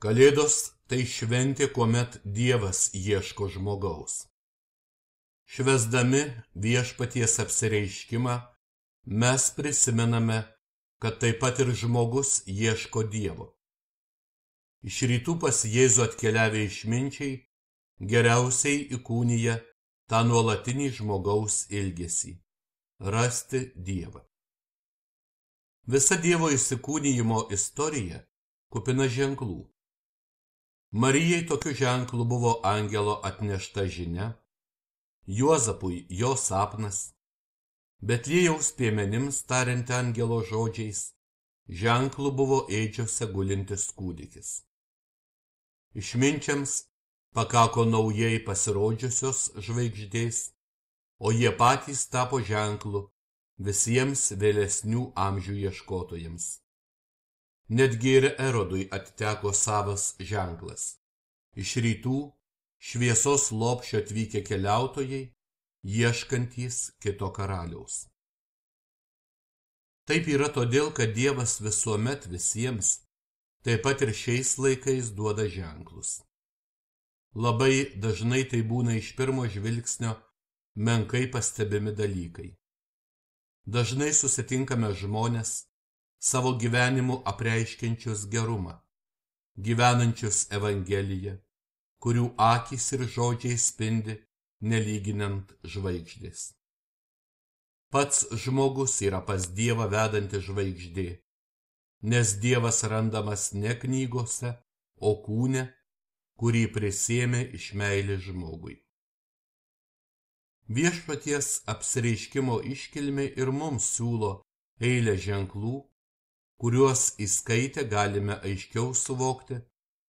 Kalėdos tai šventė, kuomet Dievas ieško žmogaus. Švęsdami Viešpaties apsireiškimą, mes prisimename, kad taip pat ir žmogus ieško Dievo. Iš rytų pas Jėzų atkeliavę išminčiai geriausiai įkūnija tą nuolatinį žmogaus ilgesį – rasti Dievą. Visa Dievo įsikūnijimo istorija kupina ženklų. Marijai tokiu ženklu buvo angelo atnešta žinia, Juozapui jo sapnas, Betliejaus piemenims tariant angelo žodžiais, ženklu buvo ėdžiose gulintis kūdikis. Išminčiams pakako naujai pasirodžiusios žvaigždės, o jie patys tapo ženklu visiems vėlesnių amžių ieškotojams. Netgi ir Erodui atiteko savas ženklas. Iš rytų šviesos lopšio atvykę keliautojai, ieškantys kito karaliaus. Taip yra todėl, kad Dievas visuomet visiems, taip pat ir šiais laikais duoda ženklus. Labai dažnai tai būna iš pirmo žvilgsnio menkai pastebimi dalykai. Dažnai susitinkame žmones, savo gyvenimu apreiškiančius gerumą, gyvenančius Evangeliją, kurių akys ir žodžiai spindi nelyginant žvaigždės. Pats žmogus yra pas Dievą vedanti žvaigždė, nes Dievas randamas ne knygose, o kūne, kurį prisėmė iš meilės žmogui. Viešpaties apsireiškimo iškilmė ir mums siūlo eilę ženklų, kuriuos įskaitę galime aiškiau suvokti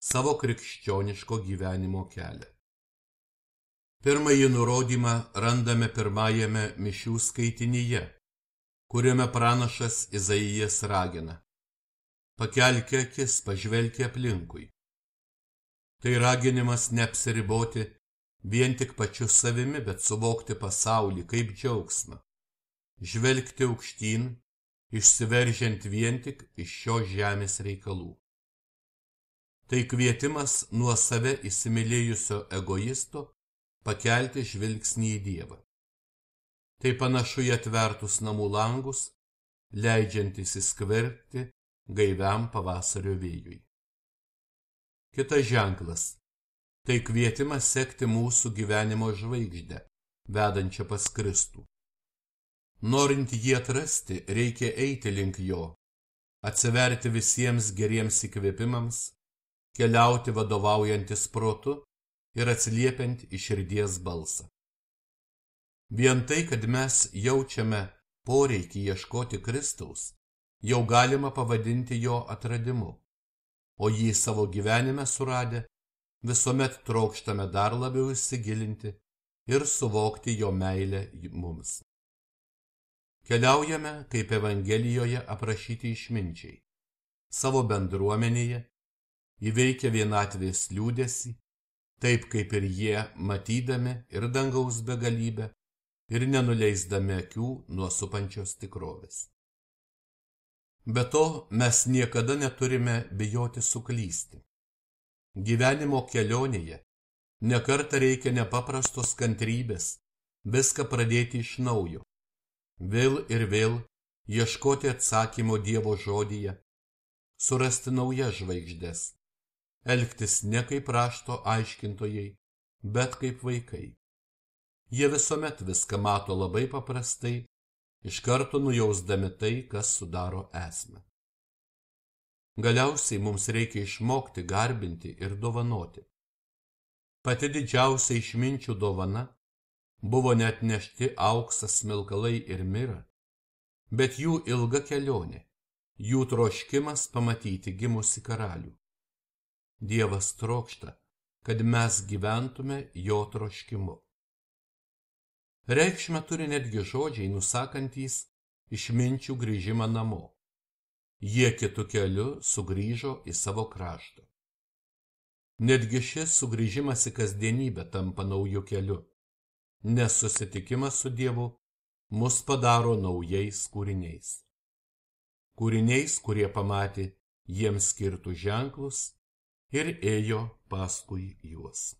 savo krikščioniško gyvenimo kelią. Pirmąjį nurodymą randame pirmajame mišių skaitinyje, kuriame pranašas Izaijas ragina: pakelk akis, pažvelk aplinkui. Tai raginimas neapsiriboti vien tik pačiu savimi, bet suvokti pasaulį kaip džiaugsmą, žvelgti aukštyn, išsiveržiant vien tik iš šios žemės reikalų. Tai kvietimas nuo save įsimylėjusio egoisto pakelti žvilgsnį į Dievą. Tai panašu į atvertus namų langus, leidžiantis įskverbti gaiviam pavasario vėjui. Kitas ženklas – tai kvietimas sekti mūsų gyvenimo žvaigždę, vedančią pas Kristų. Norint jį atrasti, reikia eiti link jo, atsiverti visiems geriems įkvėpimams, keliauti vadovaujantis protu ir atsiliepiant į širdies balsą. Vien tai, kad mes jaučiame poreikį ieškoti Kristaus, jau galima pavadinti jo atradimu, o jį savo gyvenime suradę, visuomet trokštame dar labiau įsigilinti ir suvokti jo meilę mums. Keliaujame, kaip Evangelijoje aprašyti išminčiai, savo bendruomenėje, įveikę vienatvės liūdesį, taip kaip ir jie, matydami ir dangaus begalybę, ir nenuleisdami akių nuo supančios tikrovės. Be to, mes niekada neturime bijoti suklysti. Gyvenimo kelionėje nekartą reikia nepaprastos kantrybės, viską pradėti iš naujo. Vėl ir vėl ieškoti atsakymo Dievo žodyje, surasti naujas žvaigždes, elgtis ne kaip rašto aiškintojai, bet kaip vaikai. Jie visuomet viską mato labai paprastai, iš karto nujausdami tai, kas sudaro esmę. Galiausiai mums reikia išmokti garbinti ir dovanoti. Pati didžiausia išminčių dovana buvo neatnešti auksas, smilkalai ir mira, bet jų ilga kelionė, jų troškimas pamatyti gimusi karalių. Dievas trokšta, kad mes gyventume jo troškimu. Reikšmę turi netgi žodžiai nusakantys išminčių grįžimą namo. Jie kitu keliu sugrįžo į savo kraštą. Netgi šis sugrįžimas į kasdienybę tampa nauju keliu, nes susitikimas su Dievu mus padaro naujais kūriniais. Kūriniais, kurie pamatė jiems skirtus ženklus ir ėjo paskui juos.